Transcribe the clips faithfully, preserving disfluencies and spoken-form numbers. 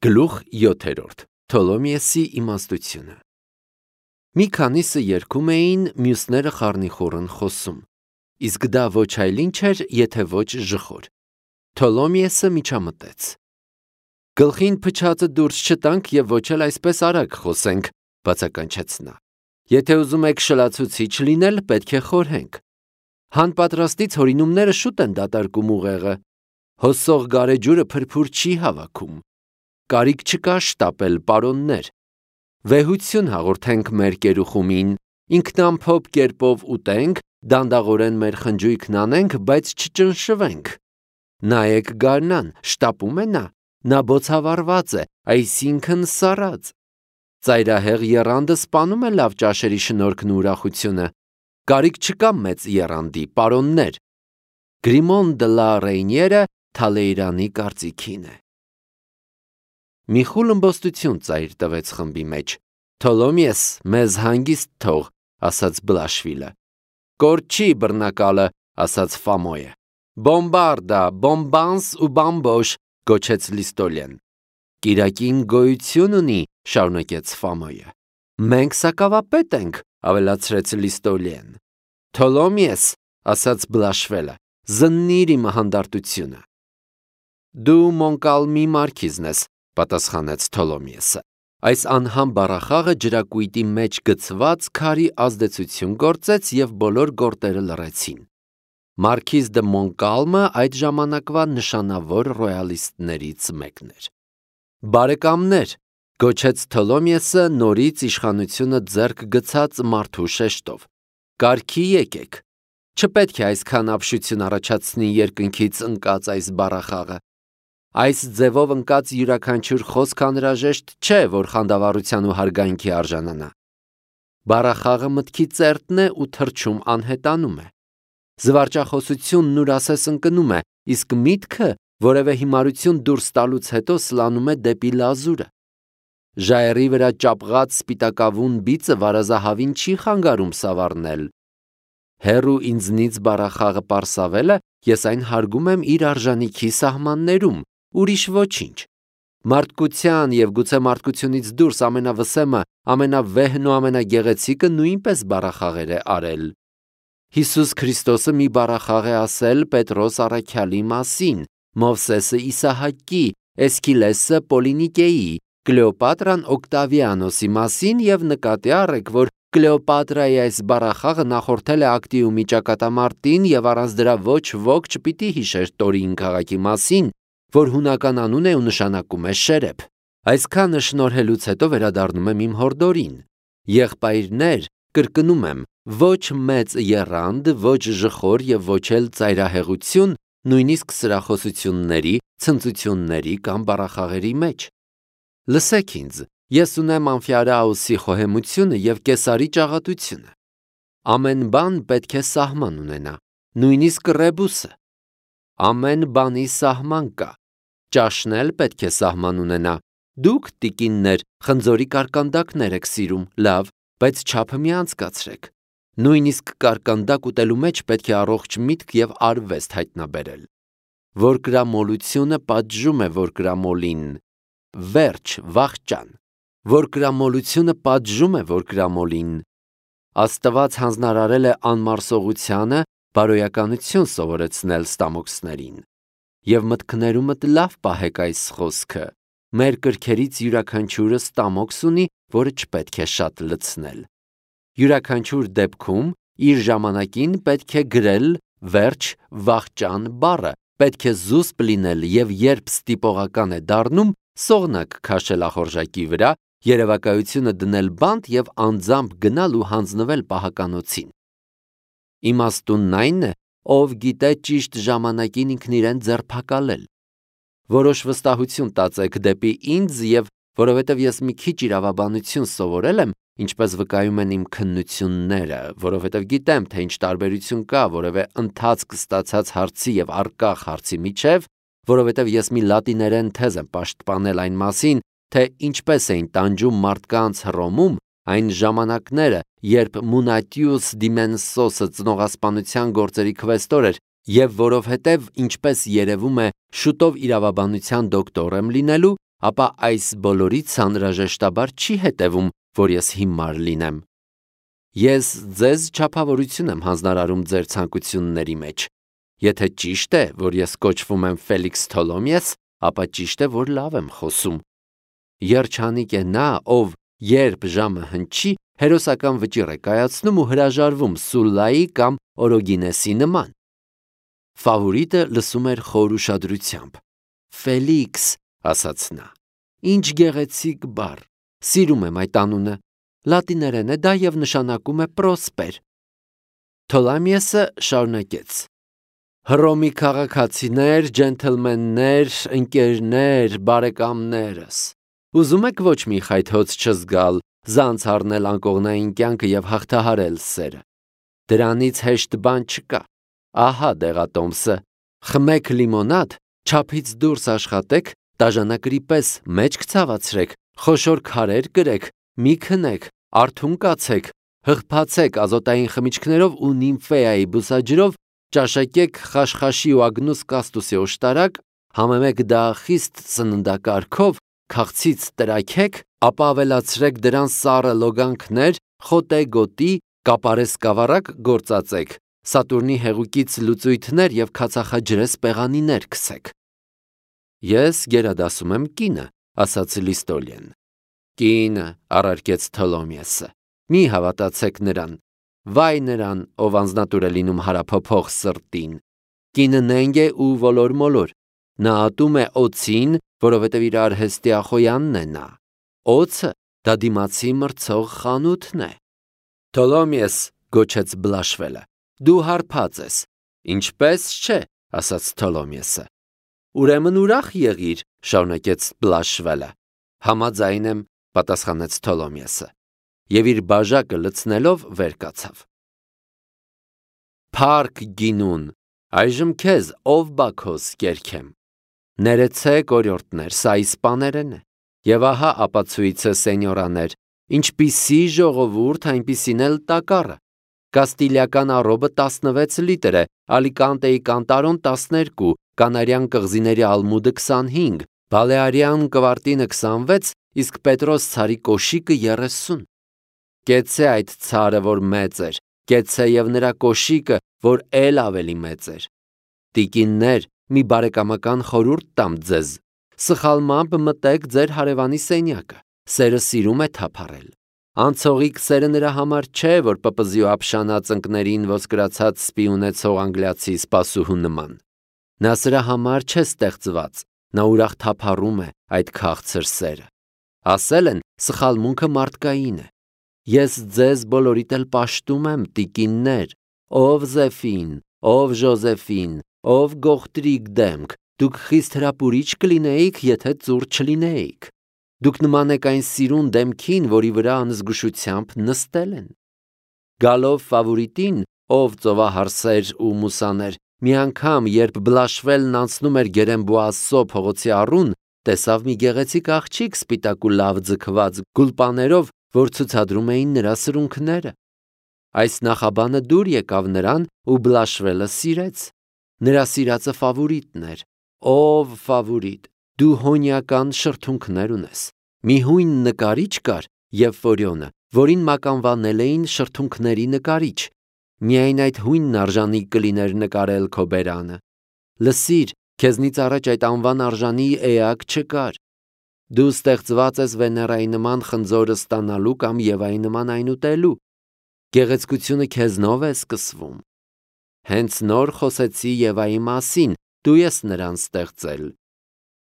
Գլուխ յոթերորդ. Թոլոմիեսի իմաստությունը։ Մի քանիսը երգում էին, մյուսները խառնիխուռն խոսում, իսկ դա ոչ այլ ինչ էր, եթե ոչ ժխոր։ Թոլոմիեսը միջամտեց. Գլխին փչածը դուրս չտանք և ոչ էլ այսպես արագ խոսենք, բացականչեց նա։ Եթե ուզում եք շլացուցիչ լինել, պետք է խորհենք։ Հանպատրաստից հորինումները շուտ են դատարկում ուղեղը։ Հոսող գարեջուրը փրփուր չի հավաքում։ Կարիք չկա շտապել, պարոններ։ Վեհություն հաղորդենք մեր կերուխումին, ինքնամփոփ կերպով ուտենք, դանդաղորեն մեր խնջույքն անենք, բայց չճնշվենք։ Նայեք գարնան, շտապում է նա, նա բոցավառված է, այսինքն սառած։ Ծայրահեղ եռանդը սպանում է լավ ճաշերի շնորհքն ու ուրախությունը։ Կարիք չկա մեծ եռանդի, պարոններ։ Գրիմոն դը լա Ռեյնիերը Թալեյրանի կարծիքին է։ Մի խուլ ըմբոստություն ծայր տվեց խմբի մեջ։ Թոլոմիես, մեզ հանգիստ թող, ասաց Բլաշվիլը։ Կորչի բռնակալը, ասաց Ֆամոյը։ Բոմբարդա, բոմբանս ու բամբոշ, գոչեց Լիստոլեն։ Կիրակին գոյություն ունի, շարունակեց Ֆամոյը։ Մենք սակավապետ ենք, ավելացրեց Լիստոլեն։ Թոլոմիես, ասաց Բլաշվելը, զննիր իմ հանդարտությունը։ Դու Մոնկալմի մարքիզն ես, պատասխանեց Թոլոմիեսը։ Այս անհամ բառախաղը ջրակույտի մեջ գցված քարի ազդեցություն գործեց և բոլոր գորտերը լռեցին։ Մարքիզ դը Մոնկալմը այդ ժամանակվա նշանավոր ռոյալիստներից մեկն էր։ Բարեկամներ, գոչեց Թոլոմիեսը նորից իշխանությունը ձեռք գցած մարդու շեշտով։ Կարգի եկեք։ Չպետք է այսքան ապշություն առաջացնի երկնքից ընկած այս բառախաղը։ Այս ձևով ընկած յուրաքանչյուր խոսք անհրաժեշտ չէ, որ խանդավառության ու հարգանքի արժանանա։ Բառախաղը մտքի ծերտն է ու թռչում անհետանում է։ Զվարճախոսությունն ուրասես ընկնում է, իսկ միտքը որևէ հիմարություն դուրս տալուց հետո սլանում է դեպի լազուրը։ Ժայռի վրա ճապղած սպիտակավուն բիծը վարազահավին չի խանգարում սավառնել։ Հեռու ինձնից բառախաղը պարսավելը, ես այն հարգում եմ իր արժանիքի սահմաններում, ուրիշ ոչինչ։ Մարդկության և գուցե մարդկությունից դուրս ամենավսեմը, ամենավեհն ու ամենագեղեցիկը նույնպես բառախաղեր է արել։ Հիսուս Քրիստոսը մի բառախաղ է ասել Պետրոս առաքյալի մասին, Մովսեսը Իսահակի, Էսքիլեսը Պոլինիկեի, Կլեոպատրան Օկտավիանոսի մասին և նկատի առեք, որ Կլեոպատրայի այս բառախաղը նախորդել է Ակտիումի ճակատամարտին և առանց դրա ոչ ոք չպիտի հիշեր Տորին քաղաքի մասին, որ հունական անուն է ու նշանակում է շերեփ։ Այսքանը շնորհելուց հետո վերադառնում եմ իմ հորդորին։ Եղբայրներ, կրկնում եմ, ոչ մեծ եռանդ, ոչ ժխոր և ոչ էլ ծայրահեղություն, նույնիսկ սրախոսությունների, ցնծությունների կամ բառախաղերի մեջ։ Լսեք ինձ, ես ունեմ Ամֆիարաուսի խոհեմությունը և Կեսարի ճաղատությունը։ Ամեն բան պետք է սահման ունենա, նույնիսկ ռեբուսը։ Ամեն բանի սահման կա։ Ճաշն էլ պետք է սահման ունենա։ Դուք, տիկիններ, խնձորի կարկանդակներ եք սիրում, լավ, բայց չափը մի անցկացրեք։ Նույնիսկ կարկանդակ ուտելու մեջ պետք է առողջ միտք և արվեստ հայտնաբերել։ Որկրամոլությունը պատժում է որկրամոլին։ Վերջ, վախճան։ Որկրամոլությունը պատժում է որկրամոլին։ Աստված հանձնարարել է անմարսողությանը բարոյականություն սովորեցնել ստամոքսներին։ Եվ մտքներումդ լավ պահեք այս խոսքը. մեր կրքերից յուրաքանչյուրը ստամոքս ունի, որը չպետք է շատ լցնել։ Յուրաքանչյուր դեպքում իր ժամանակին պետք է գրել վերջ, վախճան բառը, պետք է զուսպ լինել և երբ ստիպողական է դառնում, սողնակ քաշել ախորժակի վրա, երևակայությունը դնել բանտ և անձամբ գնալ ու հանձնվել պահականոցին։ Իմաստունն այն է, ով գիտե ճիշտ ժամանակին ինքն իրեն ձերբակալել։ Որոշ վստահություն տածեք դեպի ինձ և որովհետև ես մի քիչ իրավաբանություն սովորել եմ, ինչպես վկայում են իմ քննությունները, որովհետև գիտեմ, թե ինչ տարբերություն կա որևէ ընթացք ստացած հարցի և առկախ հարցի միջև, որովհետև ես մի լատիներեն թեզ եմ պաշտպանել այն մասին, թե ինչպես էին տանջում մարդկանց Հռոմում այն ժամանակները, երբ Մունատիուս Դիմենսոսը ծնողասպանության գործերի քվեստոր էր, և որովհետև, ինչպես երևում է, շուտով իրավաբանության դոկտոր եմ լինելու, ապա այս բոլորից անհրաժեշտաբար չի հետևում, որ ես հիմար լինեմ։ Ես ձեզ չափավորություն եմ հանձնարարում ձեր ցանկությունների մեջ։ Եթե ճիշտ է, որ ես կոչվում եմ Ֆելիքս Թոլոմիես, ապա ճիշտ է, որ լավ եմ խոսում։ Երջանիկ է նա, ով երբ ժամը հնչի, հերոսական վճիռ է կայացնում ու հրաժարվում Սուլլայի կամ Օրոգինեսի նման։ Ֆավորիտը լսում էր խոր ուշադրությամբ։ Ֆելիքս, ասաց նա, ինչ գեղեցիկ բառ, սիրում եմ այդ անունը, լատիներեն է դա և նշանակում է պրոսպեր։ Թոլոմիեսը շարունակեց. Հռոմի քաղաքացիներ, ջենթլմեններ, ընկերներ, բարեկամներս, ուզում եք ոչ մի խայթոց չզգալ, զանց առնել անկողնային կյանքը և հաղթահարել սերը։ Դրանից հեշտ բան չկա։ Ահա դեղատոմսը, խմեք լիմոնադ, չափից դուրս աշխատեք, դաժանակրի պես մեջք ցավացրեք, խոշոր քարեր կրեք, մի քնեք, արթուն կացեք, հղբացեք ազոտային խմիչքներով ու նիմֆեայի բուսաջրով, ճաշակեք խաշխաշի ու ագնուս կաստուսի օշտարակ, համեմեք դա խիստ սննդակարգով, քաղցից տրաքեք, ապա ավելացրեք դրան սառը լոգանքներ, խոտե գոտի, կապարե սկավառակ գործածեք, Սատուրնի հեղուկից լուծույթներ և քացախաջրես պեղանիներ քսեք։ Ես գերադասում եմ կինը, ասաց Լիստոլիեն։ Կինը, առարկեց Թոլոմիեսը, մի հավատացեք նրան, վայ նրան, ով անձնատուր է լինում հարափոփող սրտին։ Կինը նենգ է ու ոլոր-մոլոր, նա ատում է օձին, որովհետև իր արհեստի ախոյանն է նա։ Օձը դա դիմացի մրցող խանութն է։ Թոլոմիես, գոչեց Բլաշվելը, դու հարբած ես։ Ինչպես չէ, ասաց Թոլոմիեսը։ Ուրեմն ուրախ եղիր, շարունակեց Բլաշվելը։ Համաձայն եմ, պատասխանեց Թոլոմիեսը, և իր բաժակը լցնելով վեր կացավ։ Փառք գինուն, այժմ քեզ ով Բաքոս կերքեմ։ Ներեցեք օրիորդներ, սա իսպաներեն է, և ահա ապացույցը սենյորաներ, ինչպիսի ժողովուրդ, այնպիսին էլ տակառը։ Կաստիլիական առոբը տասնվեց լիտր է, Ալիկանտեի կանտարոն տասներկու, կանարյան կղզիների ալմուդը քսանհինգ, բալեարյան կվարտինը քսանվեց, իսկ Պետրոս ցարի կոշիկը երեսուն։ Կեցցե այդ ցարը, որ մեծ էր, կեցցե և նրա կոշիկը, որ էլ ավելի մեծ էր։ Տիկիններ, մի բարեկամական խորհուրդ տամ ձեզ, սխալմամբ մտեք ձեր հարևանի սենյակը, սերը սիրում է թափառել։ Անցողիկ սերը նրա համար չէ, որ պպզի ու ապշանած ընկներին ոսկրացած սպի ունեցող անգլիացի սպասուհու նման։ Նա սրա համար չէ ստեղծված, նա ուրախ թափառում է այդ քաղցր սերը։ Ասել են, սխալմունքը մարդկային է։ Ես ձեզ բոլորիդ էլ պաշտում եմ, տիկիններ, ով Զեֆին, ով Ժոզեֆին, ով գողտրիկ դեմք, դուք խիստ հրապուրիչ կլինեիք, եթե ծուռ չլինեիք։ Դուք նման եք այն սիրուն դեմքին, որի վրա անզգուշությամբ նստել են։ Գալով Ֆավորիտին, ով ծովահարսեր ու մուսաներ, մի անգամ, երբ Բլաշվելն անցնում էր Գերենբուասո փողոցի առուն, տեսավ մի գեղեցիկ աղջիկ սպիտակ ու լավ ձգված գուլպաներով, որ ցուցադրում էին նրա սրունքները։ Այս նախաբանը դուր եկավ նրան ու Բլաշվելը սիրեց։ Նրա սիրածը Ֆավորիտն էր։ Ով Ֆավորիտ, դու հոնյական շրթունքներ ունես։ Մի հույն նկարիչ կար, Եվֆորիոնը, որին մականվանել էին շրթունքների նկարիչ։ Միայն այդ հույնն արժանի կլիներ նկարել քո բերանը։ Լսիր, քեզնից առաջ այդ անվան արժանի էակ չկար։ Դու ստեղծված ես Վեներայի նման խնձորը ստանալու կամ Եվայի նման այն ուտելու։ Գեղեցկությունը քեզնով է սկսվում։ Հենց նոր խոսեցի Եվայի մասին, դու ես նրան ստեղծել։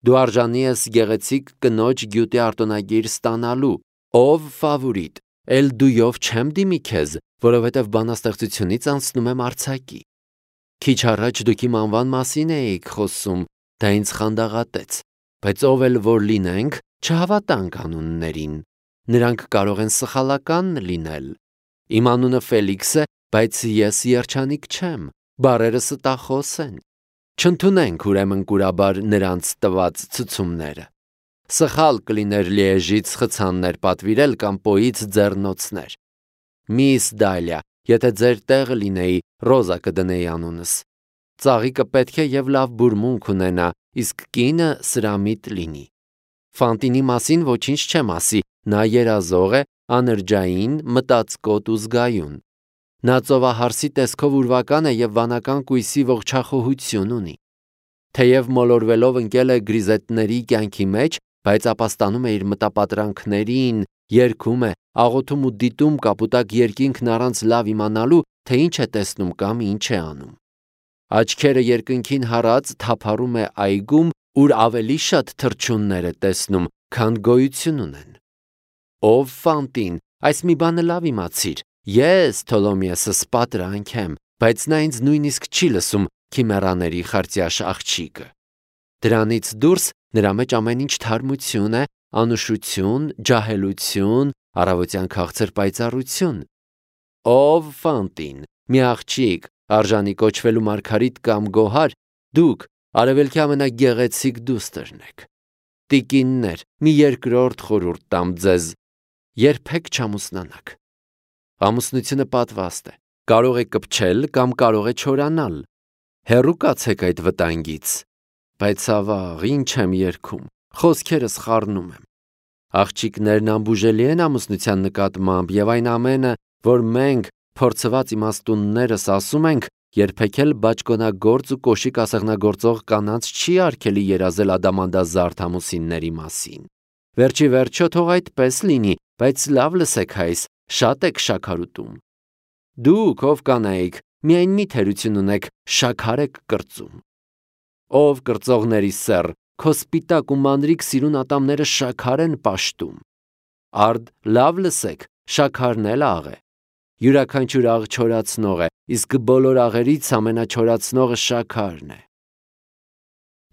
Դու արժանի ես գեղեցիկ կնոջ գյուտի արտոնագիր ստանալու, ով Ֆավորիտ, էլ դույով չեմ դիմի քեզ, որովհետև բանաստեղծությունից անցնում եմ արձակի։ Քիչ առաջ դուք իմ անվան մասին էիք խոսում, դա ինձ խանդաղատեց, բայց ով էլ որ լինենք, չհավատանք անուններին, նրանք կարող են սխալական լինել։ Իմ անունը Ֆելիքս է, բայց ես երջանիկ չեմ, բառերը ստախոս են։ Չընդունենք ուրեմն կուրաբար նրանց տված ցուցումները։ Սխալ կլիներ Լիեժից խցաններ պատվիրել կամ Պոից ձեռնոցներ։ Միս Դալիա, եթե ձեր տեղը լինեի, Ռոզա կդնեի անունս։ Ծաղիկը պետք է և լավ բուրմունք ունենա, իսկ կինը սրամիտ լինի։ Ֆանտինի մասին ոչինչ չեմ ասի, նա երազող է, անրջային, մտածկոտ ու զգայուն։ Նա ծովահարսի տեսքով ուրվական է և վանական կույսի ողջախոհություն ունի։ Թեև մոլորվելով ընկել է գրիզետների կյանքի մեջ, բայց ապաստանում է իր մտապատրանքներին, երգում է, աղոթում ու դիտում կապուտակ երկինքն առանց լավ իմանալու, թե ինչ է տեսնում կամ ինչ է անում։ Աչքերը երկնքին հառած թափառում է այգում, ուր ավելի շատ թռչուններ է տեսնում, քան գոյություն ունեն։ Ով Ֆանտին, այս մի բանը լավ իմացիր, ես Թոլոմեոսը պատրանք եմ, բայց նա ինձ նույնիսկ չի լսում քիմերաների խարտյաշ աղջիկը։ Դրանից դուրս նրա մեջ ամեն ինչ թարմություն է, անուշություն, ջահելություն, առավոտյան քաղցր պայծառություն։ Ով Ֆանտին, մի աղջիկ, արժանի կոչվելու մարգարիտ կամ գոհար, դուք արևելքի ամենագեղեցիկ դուստրն եք։ Տիկիններ, մի երկրորդ խորհուրդ տամ ձեզ, երբեք չամուսնանաք։ Ամուսնությունը պատվաստ է, կարող է կպչել կամ կարող է չորանալ։ Հեռու կացեք այդ վտանգից։ Բայց ավաղ, ինչ եմ երգում, խոսքերս խառնում եմ։ Աղջիկներն անբուժելի են ամուսնության նկատմամբ, և այն ամենը, որ մենք, փորձված իմաստուններս ասում ենք, երբեք էլ բաճկոնագործ ու կոշիկ ասեղնագործող կանանց չի արգելի երազել ադամանդազարդ ամուսինների մասին։ Վերջի վերջո թող այդպես լինի, բայց լավ լսեք հայս, շատ եք շաքարուտում։ Դուք, ով կանայք, միայն մի թերություն ունեք, շաքար եք կրծում։ Ով կրծողների սեռ, քո սպիտակ ու մանրիկ սիրուն ատամները շաքար են պաշտում։ Արդ լավ լսեք, շաքարն էլ աղ է։ Յուրաքանչյուր աղ չորացնող է, իսկ բոլոր աղերից ամենաչորացնողը շաքարն է։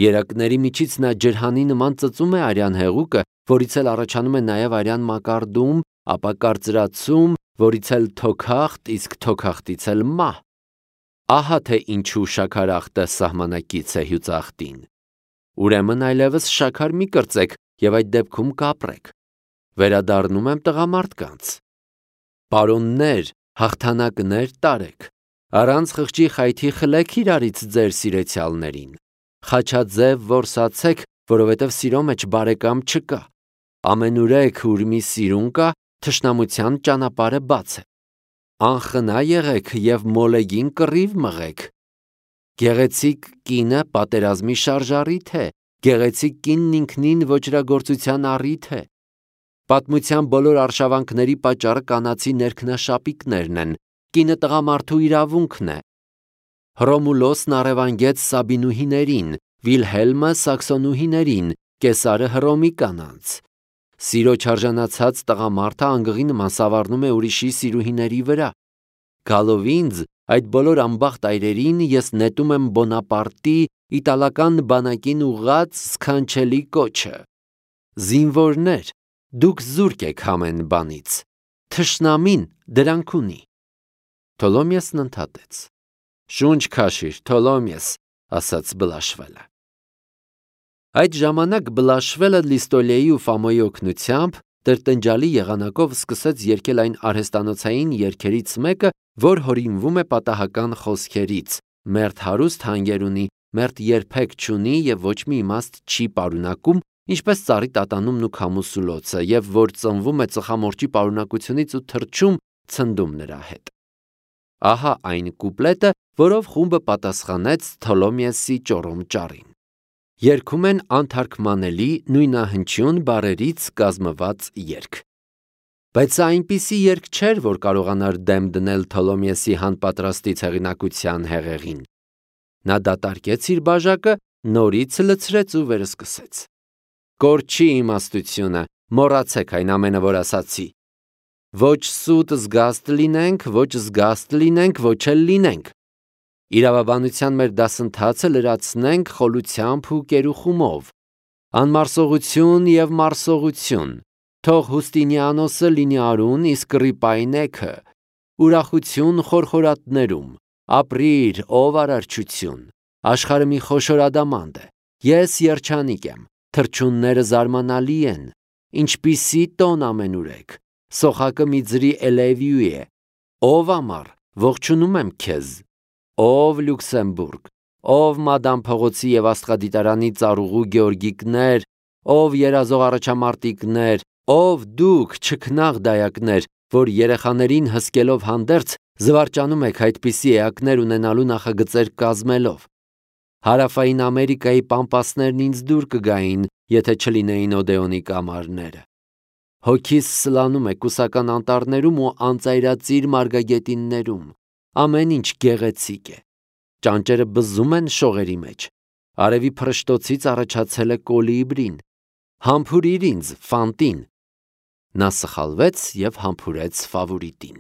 Երակների միջից նա ջրհանի նման ծծում է արյան հեղուկը, որից էլ առաջանում է նաև արյան մակարդում, ապա կարծրացում, որից էլ թոքախտ, իսկ թոքախտից էլ մահ։ Ահա թե ինչու շաքարախտը սահմանակից է հյուծախտին։ Ուրեմն այլևս շաքար մի կրծեք և այդ դեպքում կապրեք։ Վերադառնում եմ տղամարդկանց։ Պարոններ, հաղթանակներ տարեք։ Առանց խղճի խայթի խլեք իրարից ձեր սիրեցյալներին։ Խաչաձև որսացեք, որովհետև սիրո մեջ բարեկամ չկա։ Ամենուրեք, ուր մի սիրուն կա, թշնամության ճանապարհը բաց է։ Անխնա եղեք և մոլեգին կռիվ մղեք։ Գեղեցիկ կինը պատերազմի շարժառիթ է, գեղեցիկ կինն ինքնին ոճրագործության առիթ է։ Պատմության բոլոր արշավանքների պատճառը կանացի ներքնաշապիկներն են, կինը տղամարդու իրավունքն է։ Հռոմուլոսն առևանգեց Սաբինուհիներին, Վիլհելմը Սաքսոնուհիներին, Կեսարը Հռոմի կանանց։ Սիրո չարժանացած տղամարդը անգղի նման սավառնում է ուրիշի սիրուհիների վրա։ Գալով ինձ, այդ բոլոր անբախտ այրերին ես նետում եմ Բոնապարտի իտալական բանակին ուղղած սքանչելի կոչը. զինվորներ, դուք զուրկ եք ամեն բանից, թշնամին դրանք ունի։ Թոլոմեոսն ընդհատեց. Շունչ քաշիր, Թոլոմեոս, ասաց Բլաշվելը։ Այդ ժամանակ Բլաշվելը Լիստոլեի ու Ֆամոյի օգնությամբ տրտնջալի եղանակով սկսեց երգել այն արհեստանոցային երգերից մեկը, որ հորինվում է պատահական խոսքերից. մերթ հարուստ հանգեր ունի, մերթ երբեք չունի և ոչ մի իմաստ չի պարունակում, ինչպես ծառի տատանումն ու քամուսուլոցը, և որ ծնվում է ծխամորճի պարունակությունից ու թռչում ցնդում նրա հետ։ Ահա այն կուպլետը, որով խումբը պատասխանեց Թոլոմեոսի ճոռոմ ճառին։ Երգում են անթարգմանելի նույնահնչյուն բառերից կազմված երգ։ Բայց սա այնպիսի երգ չէր, որ կարողանար դեմ դնել Թոլոմեոսի հանպատրաստի հեղինակության հեղեղին։ Նա դատարկեց իր բաժակը, նորից լցրեց ու վերսկսեց. Կորչի իմաստությունը, մոռացեք այն ամենը, որ ասացի։ Ոչ սուտ զգաստ լինենք, ոչ զգաստ լինենք, ոչ էլ լինենք։ Իրավաբանության մեր դասընթացը լրացնենք խոլությամբ ու կերուխումով։ Անմարսողություն և մարսողություն, թող Հուստինիանոսը լինի արուն, իսկ Ռիպայնեքը ուրախություն խորխորատներում, ապրիր, ով արարչություն, աշխարհը մի խոշոր ադամանդ է, ես երջանիկ եմ, թռչունները զարմանալի են, ինչպիսի տոն ամենուրեք, սոխակը մի ձրի էլևյու է, ով ամառ, ողջունում եմ քեզ, ով Լյուքսեմբուրգ, ով Մադամ Փողոցի և Աստղադիտարանի ծառուղու Գեորգիկներ, ով երազող առաջամարտիկներ, ով դուք չքնաղ դայակներ, որ երեխաներին հսկելով հանդերձ զվարճանում եք այդպիսի էակներ ունենալու նախագծեր կազմելով։ Հարավային Ամերիկայի պամպասներն ինձ դուր կգային, եթե չլինեին Օդեոնի կամարները։ Հոգիս սլանում է կուսական անտառներում ու անծայրածիր մարգագետիններում։ Ամեն ինչ գեղեցիկ է։ Ճանճերը բզում են շողերի մեջ։ Արևի փռշտոցից առաջացել է կոլիբրին։ Համբուրիր ինձ, Ֆանտին։ Նա սխալվեց և համբուրեց Ֆավորիտին։